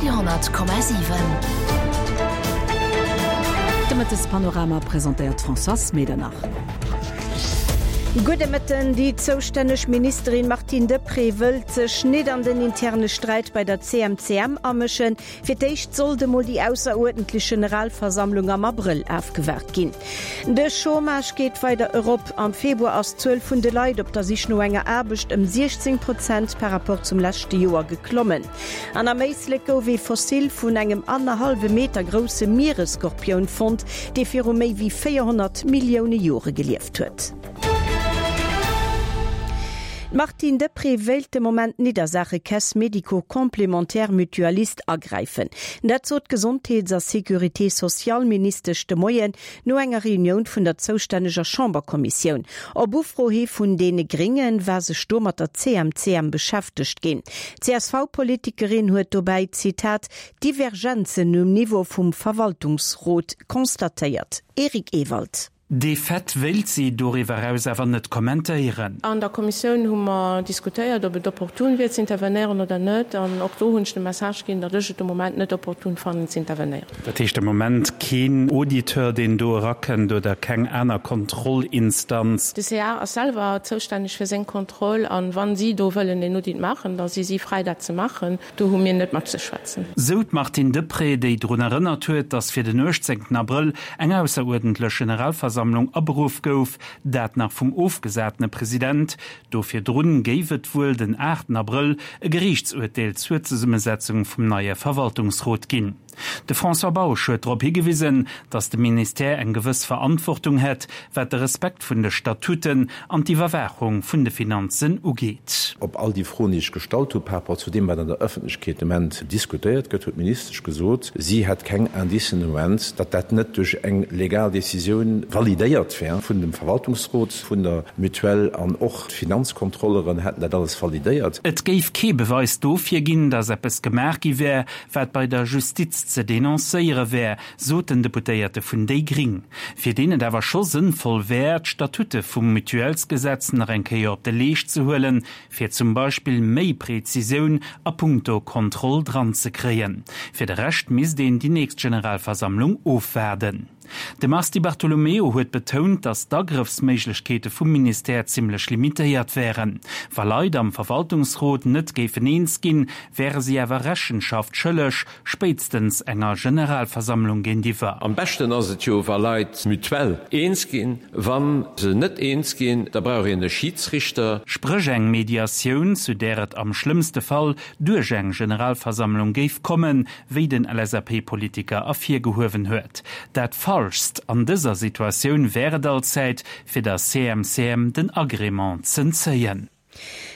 Radio 10,7. De Mëttespanorama presentéiert d'Françoise Medernach. Gudde Mëtten. Déi zoustänneg Ministerin Martine Deprez wëllt sech nit an den interne Sträit bei der CMCM amëschen. Fir d'éischt sollt emol déi ausseruerdentlech Generalversammlung am Abrëll afgewaart ginn. De Chômage geet weider erop. Am Februar ass d'Zuel vun de Leit op der Sich no enger Aarbecht ëm 16 Prozent par Rapport zum leschte Joer geklommen. An am Éislek gouf ee Fossil vun engem annerhallwe Meter grousse Mieresskorpioun fonnt, dee viru méi wéi 400 Millioune Jore gelieft huet. D'Martine Deprez wéilt de Moment nit a Saache Caisse médico-complémentaire mutualiste agräifen. Dat sot d'Gesondheets a Sécurité sociale-Ministesch de Moien no enger Reunioun vun der zoustänneger Chamberkommissioun. Op Ufro hi vun deene Grénge war sech do mat der CMCM beschäftegt ginn. D'CSV-Politikerin huet dobäi, Zitat, Divergenzen um Niveau vum Verwaltungsrot constatéiert. Eric Ewald. Dee Fait wéilt si doriwwer eraus awer net kommentéieren. An der Kommissioun hu mer diskutéiert, ob et opportun wier z'intervenéieren oder net. An och do hunn ech de Message ginn, datt ech et de Moment net opportun fannen z'intervenéieren. Dat heescht de Moment keen Auditeur, deen do erakënnt oder keng aner Kontrollinstanz? De CA ass selwer zoustänneg fir seng Kontroll. An wa si do wëllen een Audit maachen, da si si fräi dat ze maachen. Do hu mir net mat ze schwätzen. Sou d'Martine Deprez, déi drun erënnert huet, datt fir den 18 Abrëll eng ausseruerdentlech Generalversammlung aberuff gouf, dat nach vum ofgesatene President. Do virdrun géif et wuel den 8 Abrëll e Geriichtsurteel zur Zesummesetzung vum neie Verwaltungsrot ginn. De François Bausch huet drop higewisen, datt de Ministère eng gewëss Verantwortung hätt, wat de Respekt vun de Statuten an d'Iwwerwaachung vun de Finanzen ugeet. Op all déi Froen, déi ech gestallt hu par rapport zu deem, wat an der Ëffentlechkeet de Moment diskutéiert gëtt, huet d'Ministesch gesot, si hätt keng Indicen de Moment, datt dat net duerch eng legal Decisioun validéiert wär vun dem Verwaltungsrot vun der Mutuelle an och d'Finanzkontrolleren hätten dat alles validéiert. Et géif kee Beweis dofir ginn, datt eppes gemaach gi wär, wat bei der Justiz ze denoncéiere wär, sot den Deputéierte vun déi Gring, fir deen et awer scho sënnvoll wär, d'Statute vum Mutuellsgesetz nach eng Kéier op de Leescht ze huelen, fir zum Beispill méi Prezisioun a puncto Kontroll dranzekréien. Fir de Rescht misst een déi nächst Generalversammlung ofwaarden. De Mars Di Bartolomeo huet betount, datt d'Agrëffsméiglechkeete vum Ministère zimmlech limitéiert wären. Wa Leit am Verwaltungsrot net géifen eens ginn, wäre si awer Rechenschaft schëlleg, spéitstens enger Generalversammlung géintiwwer. Am beschten ass et jo, wa Leit mutuell eens ginn. Wa se net eens ginn, da brauch een e Schidsrichter. Spréch eng Mediatioun, zu där et am schlëmmste Fall duerch eng Generalversammlung géif kommen, wéi den LSAP-Politiker ervirgehuewen huet. Dat Falschst an dëser Situatioun wär et allzäit, fir der CMCM den Agrément z'entzéien.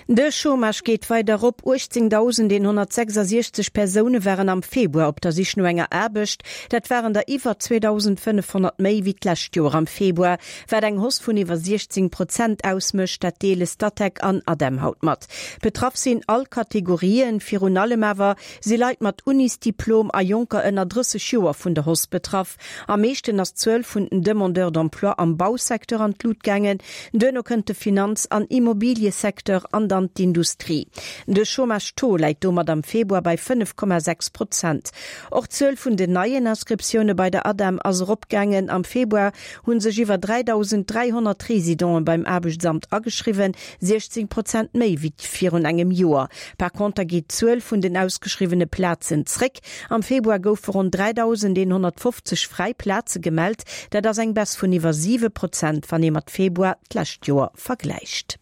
De Chômage geet weider erop, 18.166 Persoune waren am Februar op der Sich no enger Aarbecht. Dat waren der iwwer 2.500 méi wéi d'lescht Joer am Februar, wat eng Hausse vun iwwer 16 Prozent ausmécht. Dat deele Statec an ADEM haut mat. Betraff sinn all Kategorien, virun allem awer Si Leit mat Unisdiplom a Jonker ënner 30 Joer vun der Hausse betraff. Am meeschten ass d'Zuel vun den Demandeurs d'emploi am Bausecteur an d'Lut gaangen. Duerno kënnt de Finanz an Immobiliësecteur an dann d'Industrie. De Chômage-Taux läit domat am Februar bei 5,6 Prozent. Och d'Zuel vun den neien Inscriptioune bei der ADEM ass eropgaangen. Am Februar hu sech iwwer 3.300 Residenten beim Aarbechtsamt ageschriwwen, 16 Prozent méi wéi virun engem Joer. Par conter geet d'Zuel vun den ausgeschriwwene Plazen zréck. Am Februar goufe ronn 3.150 fräi Plaze gemellt. Dat ass eng Baisse vun iwwer 7 Prozent, wann ee mat Februar d'lescht Joer vergläicht.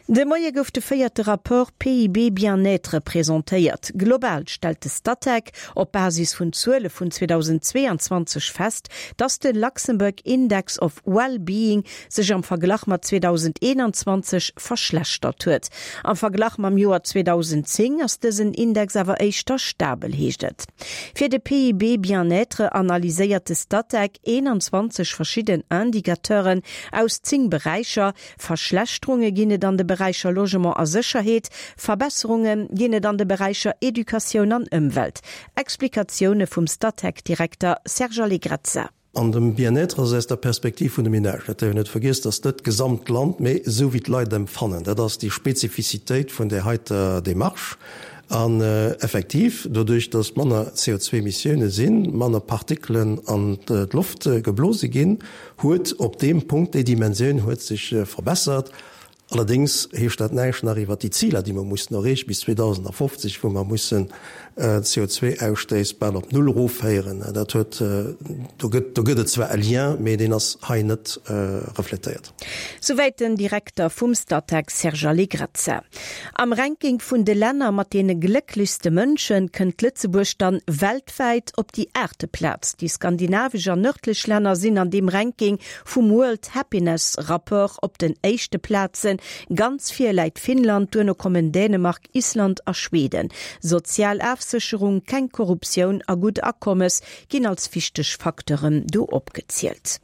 De Moie gouf de véierte Rapport PIB Bien-être presentéiert. Global stellt de Statec op Basis vun Zuele vun 2022 fest, datt de Luxembourg Index of Well-Being sech am Verglach mat 2021 verschlechtert huet. Am Verglach mam Joer 2010 ass dësen Index awer éischter stabel, heescht et. Fir de PIB Bien-être analyséiert de Statec 21 verschidden Indicateuren aus 10 Beräicher. Verschlechterunge ginn et an de Beräicher Logement a Sécherheet, Verbesserunge ginn et an de Beräicher Educatioun an Ëmwelt. Explikatioune vum Statec-Direkter Serge Allegrezza. An dem Bien-être ass aus der Perspektiv vun de Ménagen, dat däerf een net vergiessen, dat ass net d'gesamt Land, mee esou wéi d'Leit et empfannen. Dat ass déi Spezifizitéit vun där heiter Démarche. An effektiv, doduerch datt manner CO2-Emissioune sinn, manner Partikelen an d'Loft geblose ginn, huet op deem Punkt, déi Dimensioun huet sech verbessert. Allerdéngs heescht dat näischt nach iwwert déi Ziler, déi mer mussen erreechen bis 2050, wou mer mussen d'CO2-Ausstéiss bal op Null erofféieren. Dat huet, do gëtt, do gëtt et zwar e Lien, mee deen ass hei net refletéiert. Souwäit den Direkter vum Statec Serge Allegrezza. Am Ranking vun de Länner mat deene glécklechste Mënschen kënnt Lëtzebuerg dann weltwäit op déi aachte Plaz. Déi skandinavesch an nërdlech Länner sinn an deem Ranking vum World Happiness Rapport op den éischte Plazen. Ganz vir läit Finnland, duerno kommen Dänemark, Island a Schweden. Sozial Afsécherung, keng Korruptioun a gutt Akommes ginn als wichteg Facteuren do opgezielt.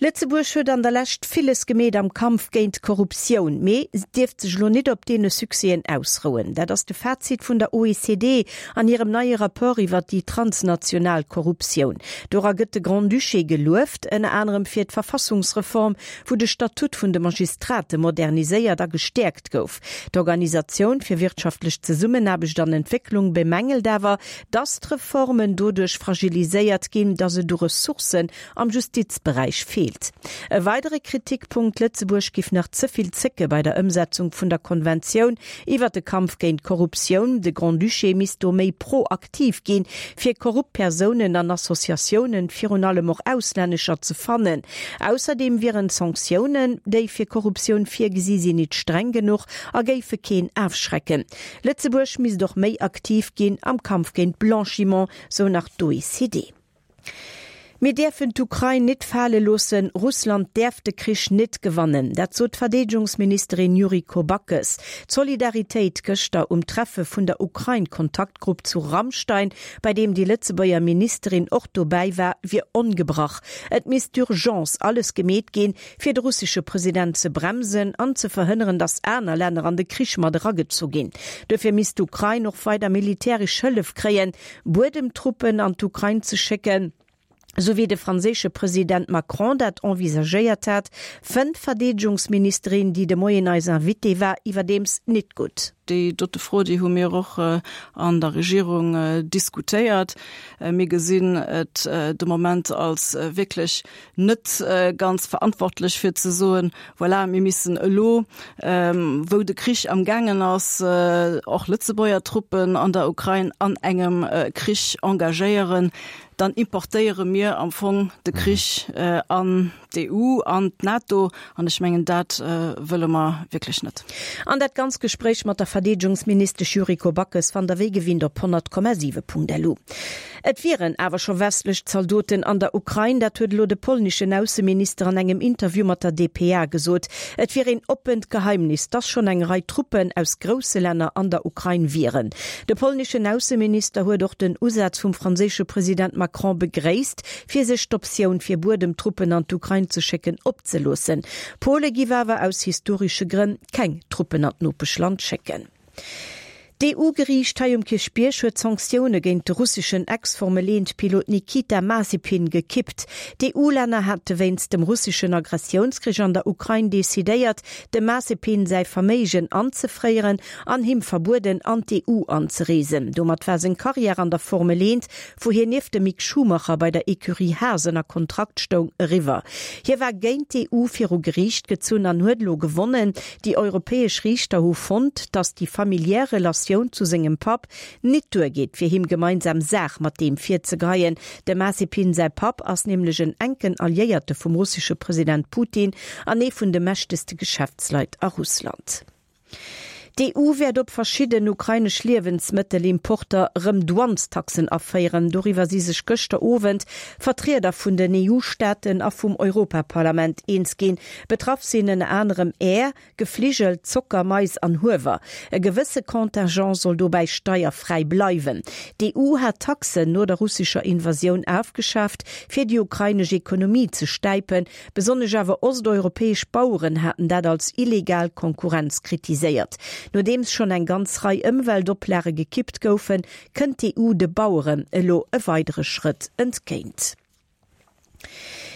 Lëtzebuerg huet an der Lescht villes gemeet am Kampf géint d'Korruptioun, mee dierft sech elo nit op deene Succèsen ausrouen. Dat ass de Fazit vun der OECD an hirem neie Rapport iwwer déi transnational Korruptioun. Dora gëtt de Grand-Duché gelueft, ënner anerem fir d'Verfassungsreform, wou de Statut vun de Magistrate moderniséiert a gestäerkt gouf. D'Organisatioun fir wirtschaftlech Zesummenaarbecht an Entwécklung bemängelt awer, datt d'Reformen doduerch fragiliséiert ginn, datt et u Ressourcen am Justizberäich feelt. E weidere Kritikpunkt, Lëtzebuerg giff nach ze vill zécke bei der Ëmsetzung vun der Konventioun iwwer de Kampf géint d'Korruptioun. De Grand-Duché misst do méi proaktiv ginn, fir korrupt Persounen an Associatiounen, virun allem och auslännescher, ze fannen. Ausserdeem wieren d'Sanktiounen, déi fir Korruptioun virgesi sinn, nit streng genuch a géife keen afschrecken. Lëtzebuerg misst och méi aktiv ginn am Kampf géint Blanchiment, sou nach d'OECD. Mir däerfen d'Ukrain nit fale loossen, Russland däerf de Krich nit gewannen. Dat sot d'Verdeedegungsministerin Yuriko Backes. D'Solidaritéit gëschter um Treffe vun der Ukrain-Kontaktgrupp zu Ramstein, bei deem déi Lëtzebuerger Ministerin och dobäi war, wier ongebrach. Et misst d'urgence alles gemeet ginn, fir de russesche President ze bremsen an ze verhënneren, datt aner Länner an de Krich mat eragezu ginn. Dofir misst d'Ukrain och weider militäresch Hëllef kréien, Buedemtruppen an d'Ukrain ze schécken, esou wéi de franséische President Macron dat envisagéiert hat, fënnt d'Verdeedegungsministerin, déi de Moien eis Invitée war, iwwerdeems nit gutt. Déi dote Fro, déi hu mir och an der Regierung diskutéiert. Mir gesinn et de Moment als wierklech net ganz verantwortlech fir ze soen, voilà, mir missen elo, wou de Krich am gaangen ass, och Lëtzebuerger Truppen an der Ukrain an engem Krich engagéieren, dann importéiere mir am Fong de Krich an d'EU, an d'NATO, an ech mengen, dat wëlle mer wierklech net. An dat ganz Gespréich mat der Verdeedegungsministesch Yuriko Backes fannt der wéi gewinnt op 100,7.lu. Et wieren awer scho westlech Zaldoten an der Ukrain, dat huet elo de polneschen Ausseminister an engem Interview mat der dpa gesot. Et wier een oppent Geheimnis, dass schonn eng Rei Truppen aus grousse Länner an der Ukrain wieren. De polneschen Ausseminister huet och den Usaz vum franséische President Macron begréisst, fir sech d'Optioun fir Buedemtruppen an d'Ukrain ze schécken opzeloossen. Pole giff awer aus historesche Grënn keng Truppen an d'Nopeschland schécken. D'EU-Geriicht hei um Kierchbierg huet d'Sanktioune géint de russeschen Ex-Formel-Eent-Pilot Nikita Mazepin gekippt. D'EU-Länner hate wéinst dem russeschen Agressiounskrich an der Ukrain decidéiert, dem Mazepin säi Verméigen anzefréieren an him verbueden, an d'EU anzereesen. Domat war seng Karriär an der Formel Eent wou hien nieft dem Mick Schumacher bei der Ecurie Haas ënner Kontrakt stoung, eriwwer. Hie war géint d'EU viru Geriicht gezunn an huet elo gewonnen. Déi europäesch Riichter hu fonnt, datt déi familiär Relatioun zu sengem Papp nit duergeet, fir him gemeinsam Saach mat deem virzegeheien. Dem Mazepin säi Papp ass nämlech en enken Alliéierte vum russesche President Putin an ee vun de mächtegste Geschäftsleit a Russland. D'EU wäert op verschidden ukrainesch Liewensmëttelimporter rëm Douanestaxen aféieren. Doriwwer si sech gëschter Owend Vertrieder vun den EU-Staaten a vum Europaparlament eens ginn. Betraff sinn ënner anerem Äer, Gefligel, Zocker, Mais an Huewer. E gewësse Contingent soll dobäi steierfräi bleiwen. D'EU hat d'Taxen no der russescher Invasioun afgeschaaft, fir déi ukrainesch Ekonomie ze stäipen. Besonnesch awer osteuropäesch Baueren haten dat als illegal Konkurrenz kritiséiert. Nodeems schonn eng ganz Rei Ëmweltoplage gekippt goufen, kënnt d'EU de Baueren elo e weidere Schrëtt entgéint.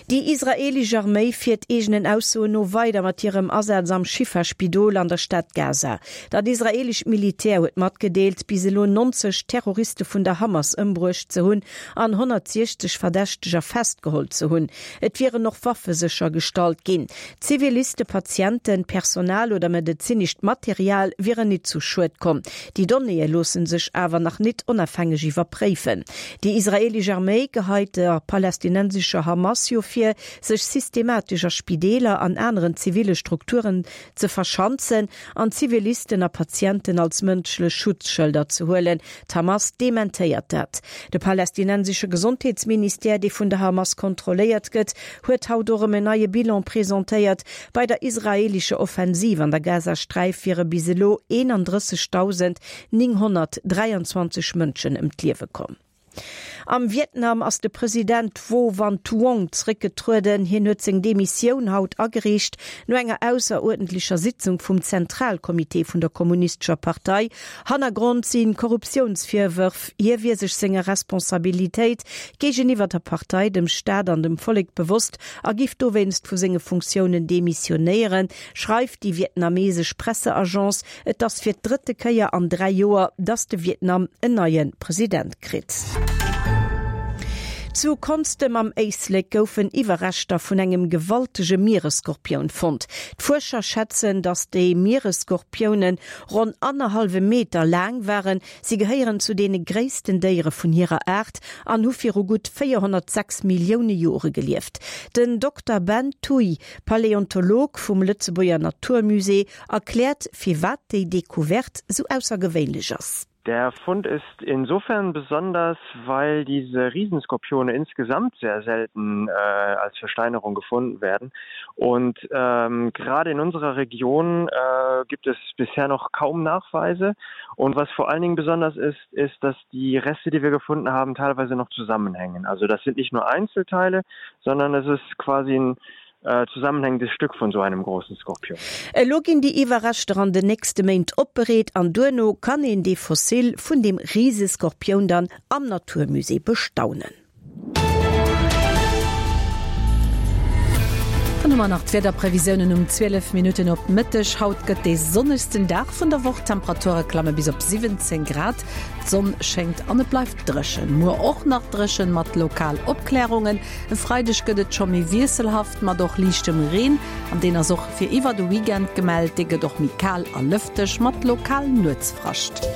Déi israeelesch Arméi fiert eegenen Aussoen no weider mat hirem Asaz am Schifa-Spidol an der Stad Gaza. Dat israeelescht Militär huet matgedeelt, bis elo 90 Terroriste vun der Hamas ëmbruecht ze hunn an 160 Verdächteger festgeholl ze hunn. Et wieren och Waffe séchergestallt ginn. Ziviliste, Patienten, Personal oder medezinescht Material wieren nit zu Schued komm. Déi Donnéeë loosse sech awer nach nit onafhängeg iwwerpréifen. Déi israeelesch Arméi geheit der palästinensescher Hamas jo vir, sech systematesch a Spideeler an aneren ziville Strukturen ze verschanzen an Zivilisten a Patienten als mënschlech Schutzschëlder ze huelen. D'Hamas dementéiert dat. De palästinensesche Gesondheetsministère, dee vun der Hamas kontrolléiert gëtt, huet haut och erëm en neie Bilan presentéiert. Bei der israeelescher Offensiv an der Gazasträif wiere bis elo 31.923 Mënschen ëm d'Liewe komm. Am Vietnam ass de President Vo Van Thuong zeréckgetrueden. Hien huet seng Demissioun haut agereecht, no enger ausseruerdentlecher Sitzung vum Zentralcomité vun der Kommunistescher Partei. Hannergrond si Korruptiounsvirwërf. Hie wier sech senger Responsabilitéit géigeniwwer der Partei, dem Staat an dem Vollek bewosst a giff dowéinst vu senge Funktiounen demissionéieren, schreift déi vietnamesesch Presseagence. Et ass fir d'drëtte Kéier an 3 Joer, datt de Vietnam en neie President kritt. Zu Konstem am Éislek goufen Iwwerreschter vun engem gewaltege Mieresskorpioun fonnt. D'Fuerscher schätzen, datt déi Mieresskorpiounen ronn annerhallwe Meter laang waren. Si gehéieren zu deene gréissten Déiere vun hirer Aart an hu viru gutt 406 Millioune Jore gelieft. Den Dokter Ben Thuy, Paläontolog vum Lëtzebuerger Naturmusée, erkläert, firwat déi Decouverte sou aussergewéinlech ass. Der Fund ist insofern besonders, weil diese Riesenskorpione insgesamt sehr selten äh, als Versteinerung gefunden werden. Und ähm, gerade in unserer Region äh, gibt es bisher noch kaum Nachweise. Und was vor allen Dingen besonders ist, ist, dass die Reste, die wir gefunden haben, teilweise noch zusammenhängen. Also das sind nicht nur Einzelteile, sondern es ist quasi ein zusammenhängendes Stück von so einem großen Skorpion. Elo ginn déi Iwwerreschter an den nächste Méint opbereet an duerno kann een dee Fossil vun deem Riseskorpioun dann am Naturmusée bestaunen. Dann hu mer nach d'Wiederprevisiounen um 12 Minutten op Mëtteg. Haut gëtt dee sonnegsten Dag vun der Woch, d'Temperature klamme bis op 17 Grad. D'Sonn schéngt an et bleift dréchen. Muer och nach dréchen, mat lokal Opklärungen. E Freideg gëtt et scho méi wiesselhaft mat och liichtem Reen an deen ass och fir iwwer de Weekend gemellt. Dee gëtt och méi kal a lëfteg mat lokal Nuetsfrascht.